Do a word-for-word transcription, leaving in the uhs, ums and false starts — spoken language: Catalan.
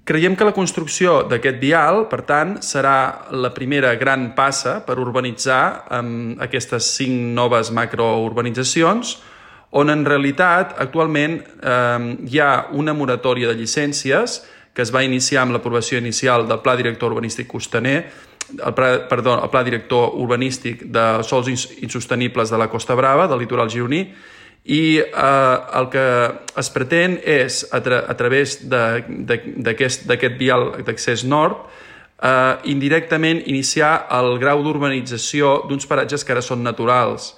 Creiem que la construcció d'aquest vial, per tant, serà la primera gran passa per urbanitzar um, aquestes cinc noves macrourbanitzacions, on en realitat actualment um, hi ha una moratòria de llicències que es va iniciar amb l'aprovació inicial del Pla Director Urbanístic Costaner, el pla, perdó, el Pla Director Urbanístic de Sòls Insostenibles de la Costa Brava, del litoral gironí, i eh, el que es pretén és, a, tra a través d'aquest vial d'accés nord, eh, indirectament iniciar el grau d'urbanització d'uns paratges que ara són naturals.